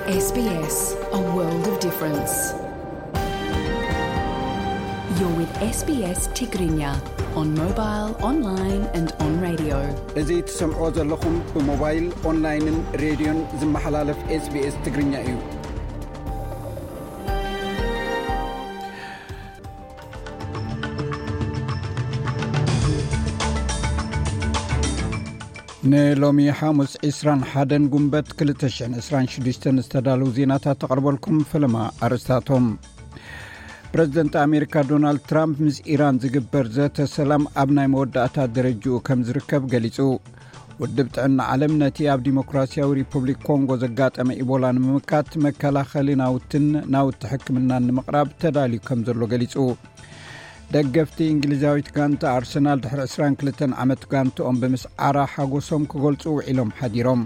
S B S, a world of difference. You're with S B S Tigrinya on mobile, online and on radio. እዚ ትሰምዕዎ ዘለኹም ብሞባይል፣ ኦንላይንን ሬድዮን ዝመሓላለፍ S B S ትግርኛ እዩ። ንሎሚ ሓሙስ ዕስራን ሓደን ጉንበት ክልተ ሽሕን ዕስራን ሽዱሽተን ዝተዳለዉ ዜናታት ተቕርበልኩም። ፈለማ ኣርእስታቶም። ፕረዚደንት ኣሜሪካ ዶናልድ ትራምፕ ምስ ኢራን ዝግበር ዘተ ሰላም ኣብ ናይ መወዳእታ ደረጅኡ ከም ዝርከብ ገሊጹ። ውድብ ጥዕና ዓለም ነቲ ኣብ ዲሞክራሲያዊ ሪፑብሊክ ኮንጎ ዘጋጠመ ኢቦላ ንምምካት መከላኸሊ ናውትን ናውቲ ሕክምናን ንምቕራብ ተዳልዩ ከም ዘሎ ገሊጹ። ደገፍቲ እንግሊዛዊት ጋንታ ኣርሰናል ድሕሪ ዕስራን ክልተን ዓመት ጋንትኦም ብምስዓራ ሓጎሶም ክገልጹ ውዒሎም ሓዲሮም።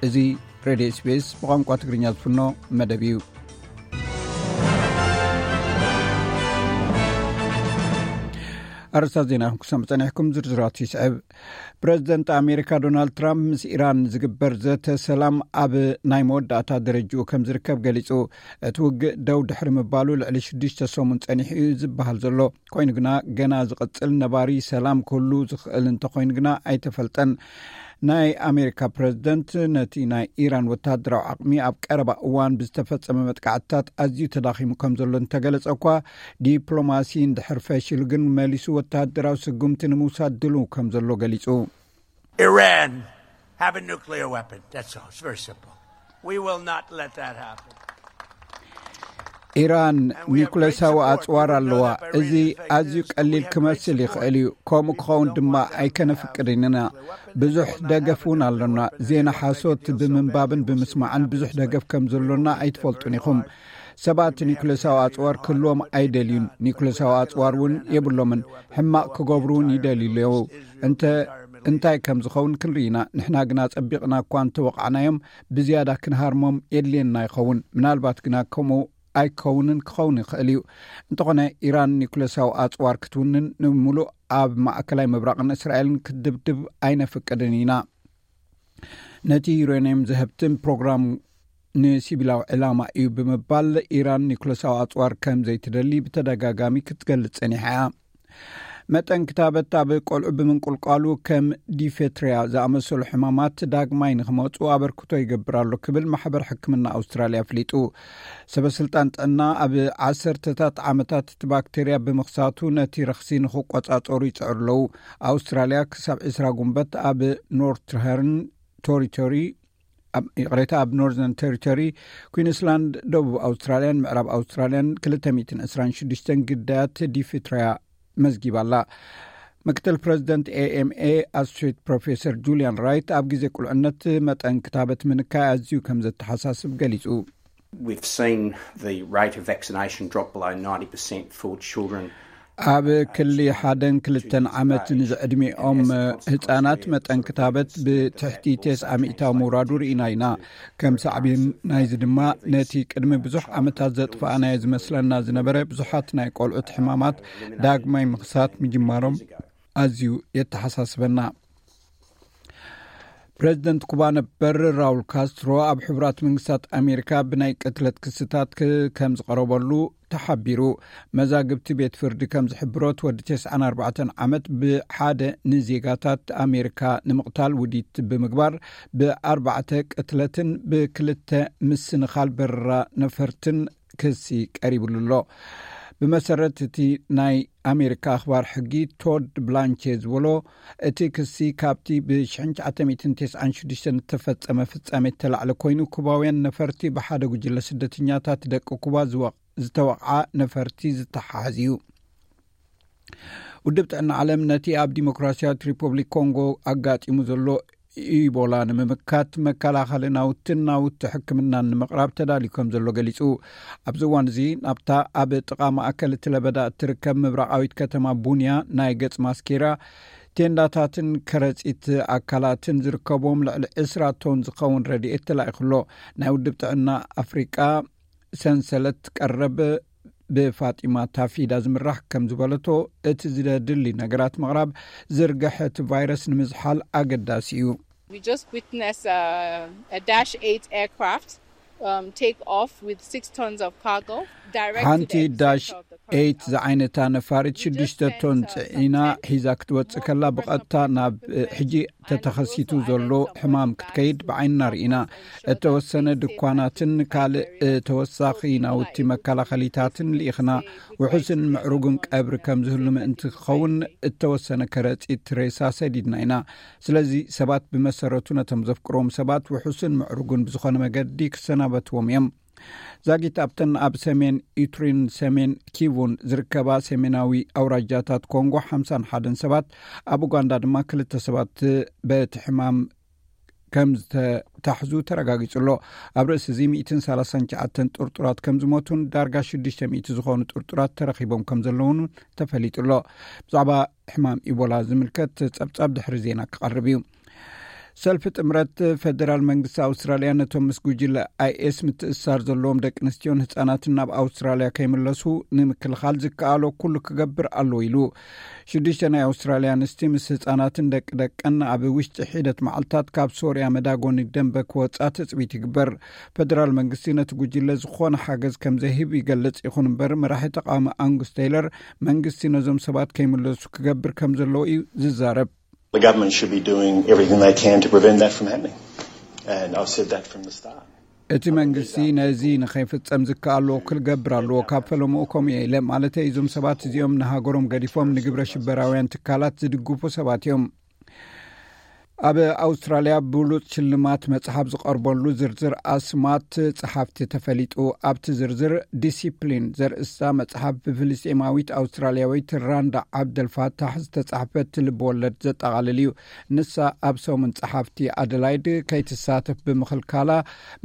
እዚ ሬድዮ S B S ብቋንቋ ትግርኛ ዝፍኖ መደብ እዩ። ኣርእስታት ዜና ክሰምዑ ጸኒሕኩም፣ ዝርዝራቱ ይስዕብ። ፕረዚደንት ኣሜሪካ ዶናልድ ትራምፕ ምስ ኢራን ዝግበር ዘተ ሰላም ኣብ ናይ መወዳእታ ደረጅኡ ከም ዝርከብ ገሊጹ። እቲ ውግእ ደው ድሕሪ ምባሉ ልዕሊ ሽዱሽተ ሰሙን ጸኒሑ እዩ ዝበሃል ዘሎ። ኮይኑ ግና ገና ዝቕጽል ነባሪ ሰላም ክህሉ ዝኽእል እንተኾይኑ ግና ኣይተፈልጠን። ናይ ኣሜሪካ ፕረዚደንት ነቲ ናይ ኢራን ወተሃደራዊ ዓቕሚ ኣብ ቀረባ እዋን ብዝተፈጸመ መጥቃዕትታት ኣዝዩ ተዳኺሙ ከም ዘሎ እንተገለጸ እኳ፣ ዲፕሎማሲ እንድሕር ፈሺሉ ግን መሊሱ ወተሃደራዊ ስጉምቲ ንምውሳድ ድሉው ከም ዘሎ ገሊጹ። Iran have a nuclear weapon. That's all. It's very simple. We will not let that happen. ኢራን ኒኩሌሳዊ ኣጽዋር ኣለዋ። እዚ ኣዝዩ ቀሊል ክመስል ይኽእል እዩ። ከምኡ ክኸውን ድማ ኣይከነፍቅድን ኢና። ብዙሕ ደገፍ እውን ኣሎና። ዜና ሓሶት ብምንባብን ብምስማዕን ብዙሕ ደገፍ ከም ዘሎና ኣይትፈልጡን ኢኹም። ሰባት ኒኩሌሳዊ ኣጽዋር ክህልዎም ኣይደልዩን። ኒኩሌሳዊ ኣጽዋር እውን የብሎምን። ሕማቕ ክገብሩ እውን ይደልዩ ኣለዉ። እንተ እንታይ ከም ዝኸውን ክንርኢ ኢና። ንሕና ግና ጸቢቕና እኳ እንተወቓዕናዮም፣ ብዝያዳ ክንሃርሞም የድልየና ይኸውን። ምናልባት ግና ከምኡ ኣይከውንን ክኸውን ይኽእል እዩ። እንተኾነ፣ ኢራን ኒኩሌሳዊ ኣጽዋር ክትውንን፣ ንምሉእ ኣብ ማእከላይ ምብራቕን እስራኤልን ክትድብድብ ኣይነፍቅድን ኢና። ነቲ ዩሬንየም ዘህብትም ፕሮግራም ንሲቪላዊ ዕላማ እዩ ብምባል፣ ኢራን ኒኩሌሳዊ ኣጽዋር ከም ዘይትደሊ ብተደጋጋሚ ክትገልጽ ጸኒሓ እያ። መጠን ክታበት ኣብ ቆልዑ ብምንቁልቋሉ፣ ከም ዲፌትሪያ ዝኣመሰሉ ሕማማት ዳግማይ ንኽመጹ ኣበርክቶ ይገብር ኣሎ ክብል ማሕበር ሕክምና ኣውስትራልያ ኣፍሊጡ። ሰበስልጣን ጥዕና ኣብ ዓሰርተታት ዓመታት እቲ ባክቴርያ ብምኽሳቱ ነቲ ረኽሲ ንኽቆጻጸሩ ይጽዕሩ ኣለዉ። ኣውስትራልያ ክሳብ ዕስራ ጉንበት ኣብ ኖርትሀርን ቶሪቶሪ፣ ኣብ፣ ይቕሬታ፣ ኣብ ኖርዘርን ቴሪቶሪ፣ ኩዊንስላንድ፣ ደቡብ ኣውስትራልያን ምዕራብ ኣውስትራልያን ክልተ ሚእትን ዕስራን ሽዱሽተን ግዳያት ዲፊትሪያ መዝጊባ ኣላ። ምክትል ፕረዚደንት A M A ኣሶሼት ፕሮፌሰር ጁልያን ራይት ኣብ ግዜ ቁልዕነት መጠን ክታበት ምንካይ ኣዝዩ ከም ዘተሓሳስብ ገሊጹ። We've seen the rate of vaccination drop below ninety percent for children. ኣብ ክሊ ሓደን ክልተን ዓመት ንዝዕድሚኦም ህጻናት መጠን ክታበት ብትሕቲ ተስዓ ሚእታዊ ምውራዱ ርኢና ኢና። ከም ሳዕቤን ናይዚ ድማ፣ ነቲ ቅድሚ ብዙሕ ዓመታት ዘጥፋእናዮ ዝመስለና ዝነበረ ብዙሓት ናይ ቆልዑት ሕማማት ዳግማይ ምኽሳት ምጅማሮም ኣዝዩ የተሓሳስበና። ፕረዚደንት ኩባ ነበር ራውል ካስትሮ ኣብ ሕቡራት መንግስታት ኣሜሪካ ብናይ ቅትለት ክስታት ክ-፣ ከም ዝቐረበሉ ተሓቢሩ። መዛግብቲ ቤት ፍርዲ ከም ዝሕብሮ፣ እቲ ወዲ ተስዓን ኣርባዕተን ዓመት ብሓደ ንዜጋታት ኣሜሪካ ንምቕታል ውዲት ብምግባር ብኣርባዕተ ቅትለትን ብክልተ ምስንኻል በረራ ነፈርትን ክሲ ቀሪብሉ ኣሎ። ብመሰረት እቲ ናይ ኣሜሪካ ኣኽባር ሕጊ ቶድ ብላንቼ ዝበሎ፣ እቲ ክሲ ካብቲ ብ ሽሕን ትሽዓተ ሚእትን ተስዓን ሽዱሽተን እተፈጸመ ፍጻሜ እተላዕለ ኮይኑ፣ ኩባውያን ነፈርቲ ብሓደ ጉጅለ ስደተኛታት ደቂ ኩባ ዝወ-፣ ዝተወቕዓ ነፈርቲ ዝተሓሓዝ እዩ። ውድብ ጥዕና ዓለም ነቲ ኣብ ዲሞክራሲያዊት ሪፐብሊክ ኮንጎ ኣጋጢሙ ዘሎ ኢቦላ ንምምካት መከላኸሊ ናውትን ናውቲ ሕክምናን ንምቕራብ ተዳልዩ ከም ዘሎ ገሊጹ። ኣብዚ እዋን እዚ ናብታ ኣብ ጥቓ ማእከል እቲ ለበዳ እትርከብ ምብራቓዊት ከተማ ቡንያ ናይ ገጽ ማስኬራ፣ ቴንዳታትን ከረጺት ኣካላትን ዝርከብዎም ልዕሊ ዕስራ ቶን ዝኸውን ረድኤት ተላኢኹ ኣሎ። ናይ ውድብ ጥዕና ኣፍሪቃ ሰንሰለት ቀረብ ብፋጢማ ታፊዳ ዝምራሕ ከም ዝበለቶ፣ እቲ ዝደድሊ ነገራት ምቕራብ ዝርግሐ እቲ ቫይረስ ንምዝሓል ኣገዳሲ እዩ። We just witnessed uh, a Dash eight aircraft um, take off with six tons of cargo. Direct to ሓንቲ the ዳሽ epicenter of the ኤይት coronavirus. ዝዓይነታ ነፋሪት ሽዱሽተ ቶን ጽዒና ሒዛ ክትወጽእ ከላ ብቐጥታ ናብ ሕጂ ተተኸሲቱ ዘሎ ሕማም ክትከይድ ብዓይንና ርኢና። እተወሰነ ድኳናትን ካልእ ተወሳኺ ናውቲ መከላኸሊታትን ልኢኽና። ውሑስን ምዕሩግን ቀብሪ ከም ዝህሉ ምእንቲ ክኸውን እተወሰነ ከረጺት ሬሳ ሰዲድና ኢና። ስለዚ ሰባት ብመሰረቱ ነቶም ዘፍቅሮም ሰባት ውሑስን ምዕሩግን ብዝኾነ መገዲ ክሰናበትዎም እዮም። ዛጊት ኣብተን ኣብ ሰሜን ኢትሪን ሰሜን ኪቡን ዝርከባ ሰሜናዊ ኣውራጃታት ኮንጎ ሓምሳን ሓደን ሰባት፣ ኣብ ኡጋንዳ ድማ ክልተ ሰባት በቲ ሕማም ከም ዝተታሕዙ ተረጋጊጹ ኣሎ። ኣብ ርእሲ እዚ ሚእትን ሰላሳን ትሽዓተን ጥርጡራት ከም ዝሞቱን ዳርጋ ሽዱሽተ ሚእቲ ዝኾኑ ጥርጡራት ተረኺቦም ከም ዘለውን ተፈሊጡ ኣሎ። ብዛዕባ ሕማም ኢቦላ ዝምልከት ጸብጻብ ድሕሪ ዜና ክቐርብ እዩ። ሰልፊ ጥምረት ፈደራል መንግስቲ ኣውስትራልያ ነቶም ምስ ጉጅለ ኣይኤስ ምትእስሳር ዘለዎም ደቂ ኣንስትዮን ህጻናትን ናብ ኣውስትራልያ ከይምለሱ ንምክልኻል ዝከኣሎ ኩሉ ክገብር ኣለዎ ኢሉ። ሽዱሽተ ናይ ኣውስትራልያ ኣንስቲ ምስ ህጻናትን ደቂ ደቀን ኣብ ውሽጢ ሒደት መዓልታት ካብ ሶርያ መዳጎኒ ደንበ ክወጻ ትጽቢት ይግበር። ፈደራል መንግስቲ ነቲ ጉጅለ ዝኾነ ሓገዝ ከም ዘይህብ ይገልጽ። ይኹን እምበር መራሒ ተቃዋሚ ኣንጉስ ቴይለር መንግስቲ ነዞም ሰባት ከይምለሱ ክገብር ከም ዘለዎ እዩ ዝዛረብ። The government should be doing everything they can to prevent that from happening. And I've said that from the start. እቲ መንግስቲ ነዚ ንኸይፍጸም ዝከኣሎ ክገብር ኣለዎ። ካብ ፈለምኡ ከምኡ እየ ኢለ ማለተይ፣ እዞም ሰባት እዚኦም ንሃገሮም ገዲፎም ንግብረ ሽበራውያን ትካላት ዝድግፉ ሰባት እዮም። ኣብ ኣውስትራልያ ብሉጽ ሽልማት መጽሓፍ ዝቐርበሉ ዝርዝር ኣስማት ጸሓፍቲ ተፈሊጡ። ኣብቲ ዝርዝር ዲሲፕሊን ዘርእስታ መጽሓፍ ብፍልስጤማዊት ኣውስትራልያዊት ራንዳ ዓብደልፋታሕ ዝተጻሕፈት ልብ ወለድ ዘጠቓልል እዩ። ንሳ ኣብ ሰሙን ጸሓፍቲ ኣደላይድ ከይትሳተፍ ብምኽልካላ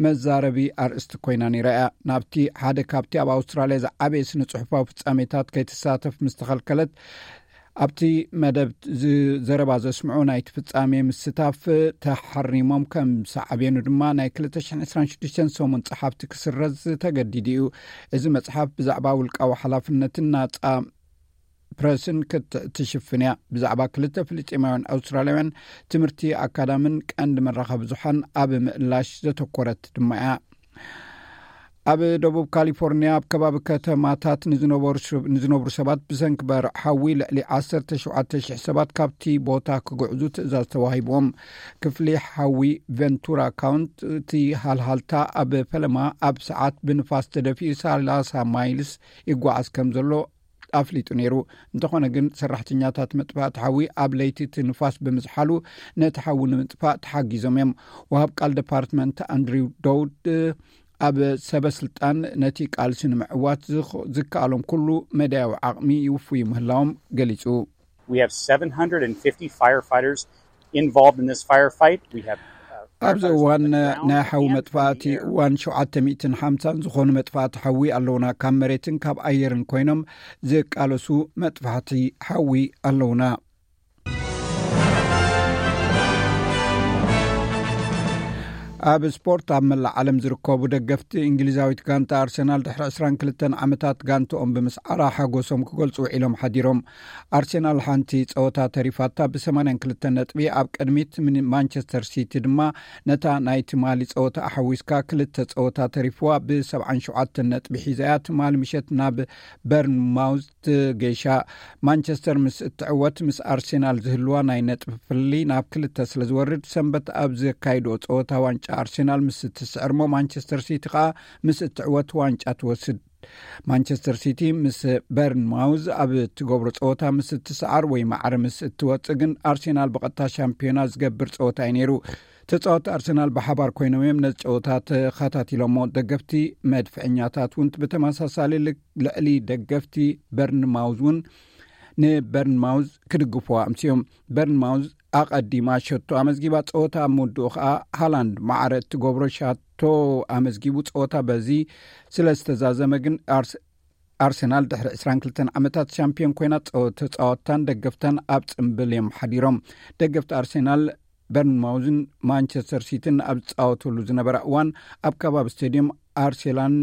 መዛረቢ ኣርእስቲ ኮይና ነይራ እያ። ናብቲ ሓደ ካብቲ ኣብ ኣውስትራልያ ዝዓበየ ስነ ጽሑፋዊ ፍጻሜታት ከይትሳተፍ ምስ ተኸልከለት፣ ኣብቲ መደብ ዘረባ ዘስምዑ ናይቲ ፍጻሜ ምስታፍ ተሓሪሞም ከም ሳዕቤኑ ድማ ናይ ክልተ ሽሕን ዕስራን ሽዱሽተን ሰሙን ጸሓፍቲ ክስረዝ ተገዲዱ እዩ። እዚ መጽሓፍ ብዛዕባ ውልቃዊ ሓላፍነትን ናጻ ፕረስን ክትሽፍን እያ። ብዛዕባ ክልተ ፍልስጤማውያን ኣውስትራልያውያን ትምህርቲ ኣካዳምን ቀንዲ መራኸቢ ብዙሓን ኣብ ምእላሽ ዘተኮረት ድማ እያ። ኣብ ደቡብ ካሊፎርኒያ ኣብ ከባቢ ከተማታት ንዝነብሩ ሰባት ብሰንኪ በርዕ ሓዊ ልዕሊ ዓሰርተ ሸውዓተ ሽሕ ሰባት ካብቲ ቦታ ክግዕዙ ትእዛዝ ተዋሂብዎም። ክፍሊ ሓዊ ቨንቱራ ካውንቲ፣ እቲ ሃልሃልታ ኣብ ፈለማ ኣብ ሰዓት ብንፋስ ተደፊኡ ሰላሳ ማይልስ ይጓዓዝ ከም ዘሎ ኣፍሊጡ ነይሩ። እንተኾነ ግን ሰራሕተኛታት መጥፋእቲ ሓዊ ኣብ ለይቲ እቲ ንፋስ ብምዝሓሉ ነቲ ሓዊ ንምጥፋእ ተሓጊዞም እዮም። ወሃብ ቃል ዲፓርትመንት ኣንድሪው ደውድ ኣብ ሰበ ስልጣን ነቲ ቃልሲ ንምዕዋት ዝኸ- ዝከኣሎም ኩሉ መዳያዊ ዓቕሚ ይውፍዩ ምህላዎም ገሊጹ። We have seven hundred fifty firefighters involved in this firefight. We have uh, ኣብዚ firefighters እዋን on the ground ናይ ሓዊ and መጥፋእቲ in the air. እዋን ሸውዓተ ሚእትን ሓምሳን ዝኾኑ መጥፋእቲ ሓዊ ኣለውና። ካብ መሬትን ካብ ኣየርን ኮይኖም ዝቃለሱ መጥፋእቲ ሓዊ ኣለውና። ኣብ ስፖርት፣ ኣብ መላእ ዓለም ዝርከቡ ደገፍቲ እንግሊዛዊት ጋንታ ኣርሰናል ድሕሪ ዕስራን ክልተን ዓመታት ጋንትኦም ብምስዓራ ሓጎሶም ክገልጹ ውዒሎም ሓዲሮም። ኣርሰናል ሓንቲ ጸወታ ተሪፋታ ብ ሰማንያን ክልተን ነጥቢ ኣብ ቅድሚት፣ ምን- ማንቸስተር ሲቲ ድማ ነታ ናይ ትማሊ ጸወታ ኣሓዊስካ ክልተ ጸወታ ተሪፍዋ ብ ሰብዓን ሸውዓተን ነጥቢ ሒዛ እያ ትማሊ ምሸት ናብ በርንማውዝ ትገይሻ። ማንቸስተር ምስ እትዕወት ምስ ኣርሴናል ዝህልዋ ናይ ነጥቢ ፍልልይ ናብ ክልተ ስለ ዝወርድ፣ ሰንበት ኣብ ዘካይድኦ ጸወታ ዋንጫ ኣርሴናል ምስ እትስዕር እሞ ማንቸስተር ሲቲ ከኣ ምስ እትዕወት ዋንጫ ትወስድ። ማንቸስተር ሲቲ ምስ በርንማውዝ ኣብ እትገብሮ ጸወታ ምስ እትስዓር ወይ ማዕረ ምስ እትወጽእ ግን ኣርሴናል ብቐጥታ ሻምፒዮና ዝገብር ጸወታ እዩ ነይሩ። ተጻወቲ ኣርሰናል ብሓባር ኮይኖም እዮም ነዚ ጸወታ ተኸታቲሎሞ። ደገፍቲ መድፍዕኛታት እውን ብተመሳሳሊ ል- ልዕሊ ደገፍቲ በርንማውዝ እውን ንበርንማውዝ ክድግፍዋ ኣምስዮም። በርንማውዝ ኣቐዲማ ሸቶ ኣመዝጊባ፣ ጸወታ ኣብ ምውድኡ ከኣ ሃላንድ ማዕረ እትገብሮ ሻቶ ኣመዝጊቡ። ጸወታ በዚ ስለ ዝተዛዘመ ግን ኣርስ- ኣርሰናል ድሕሪ ዕስራን ክልተን ዓመታት ሻምፒዮን ኮይና፣ ጸወ- ተጻወትታን ደገፍታን ኣብ ጽምብል እዮም ሓዲሮም። ደገፍቲ ኣርሰናል በርንማውዝን ማንቸስተር ሲቲን ኣብ ዝጻወተሉ ዝነበረ እዋን ኣብ ከባቢ ስቴድየም ኣርሴላን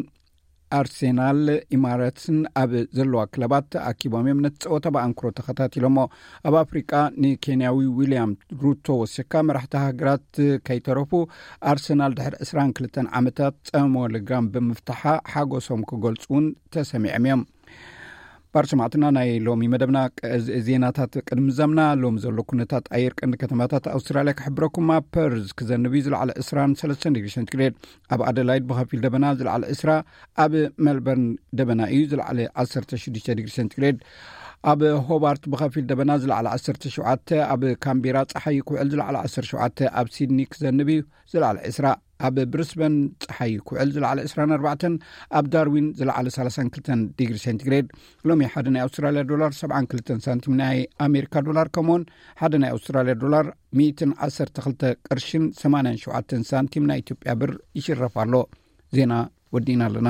ኣርሴናል ኢማረትስን ኣብ ዘለዋ ክለባት ተኣኪቦም እዮም ነቲ ጸወታ ብኣንክሮ ተኸታቲሎሞ። ኣብ ኣፍሪቃ ንኬንያዊ ዊልያም ሩቶ ወሲካ መራሕቲ ሃገራት ከይተረፉ ኣርሰናል ድሕሪ ዕስራን ክልተን ዓመታት ጸሞ ልጋም ብምፍታሓ ሓጎሶም ክገልጹ እውን ተሰሚዖም እዮም። ባር ሰማዕትና፣ ናይ ሎሚ መደብና ዜናታት ቅድሚ ዘምና ሎም ዘሎ ኩነታት ኣየር ቀንዲ ከተማታት ኣውስትራልያ ክሕብረኩም። ኣብ ፐርዝ ክዘንብ እዩ፣ ዝለዓለ ዕስራን ሰለስተን ዲግሪ ሴንቲግሬድ። ኣብ ኣደላይድ ብኸፊል ደበና፣ ዝለዓለ ዕስራ። ኣብ ሜልበርን ደበና እዩ፣ ዝለዓለ ዓሰርተ ሽዱሽተ ዲግሪ ሴንቲግሬድ። ኣብ ሆባርት ብኸፊል ደበና፣ ዝለዓለ ዓሰርተ ሸውዓተ። ኣብ ካምቤራ ጸሓይ ክውዕል፣ ዝለዓለ ዓሰርተ ሸውዓተ። ኣብ ሲድኒ ክዘንብ እዩ፣ ዝለዓለ ዕስራ። ኣብ ብሪስበን ጸሓይ ክውዕል፣ ዝለዓለ ዕስራን ኣርባዕተን። ኣብ ዳርዊን ዝለዓለ ሰላሳን ክልተን ዲግሪ ሴንቲግሬድ። ሎሚ ሓደ ናይ ኣውስትራልያ ዶላር ሰብዓን ክልተን ሳንቲም ናይ ኣሜሪካ ዶላር፣ ከምኡውን ሓደ ናይ ኣውስትራልያ ዶላር ሚእትን ዓሰርተ ክልተ ቅርሽን ሰማንያን ሸውዓተን ሳንቲም ናይ ኢትዮጵያ ብር ይሽረፍ ኣሎ። ዜና ወዲእና ኣለና።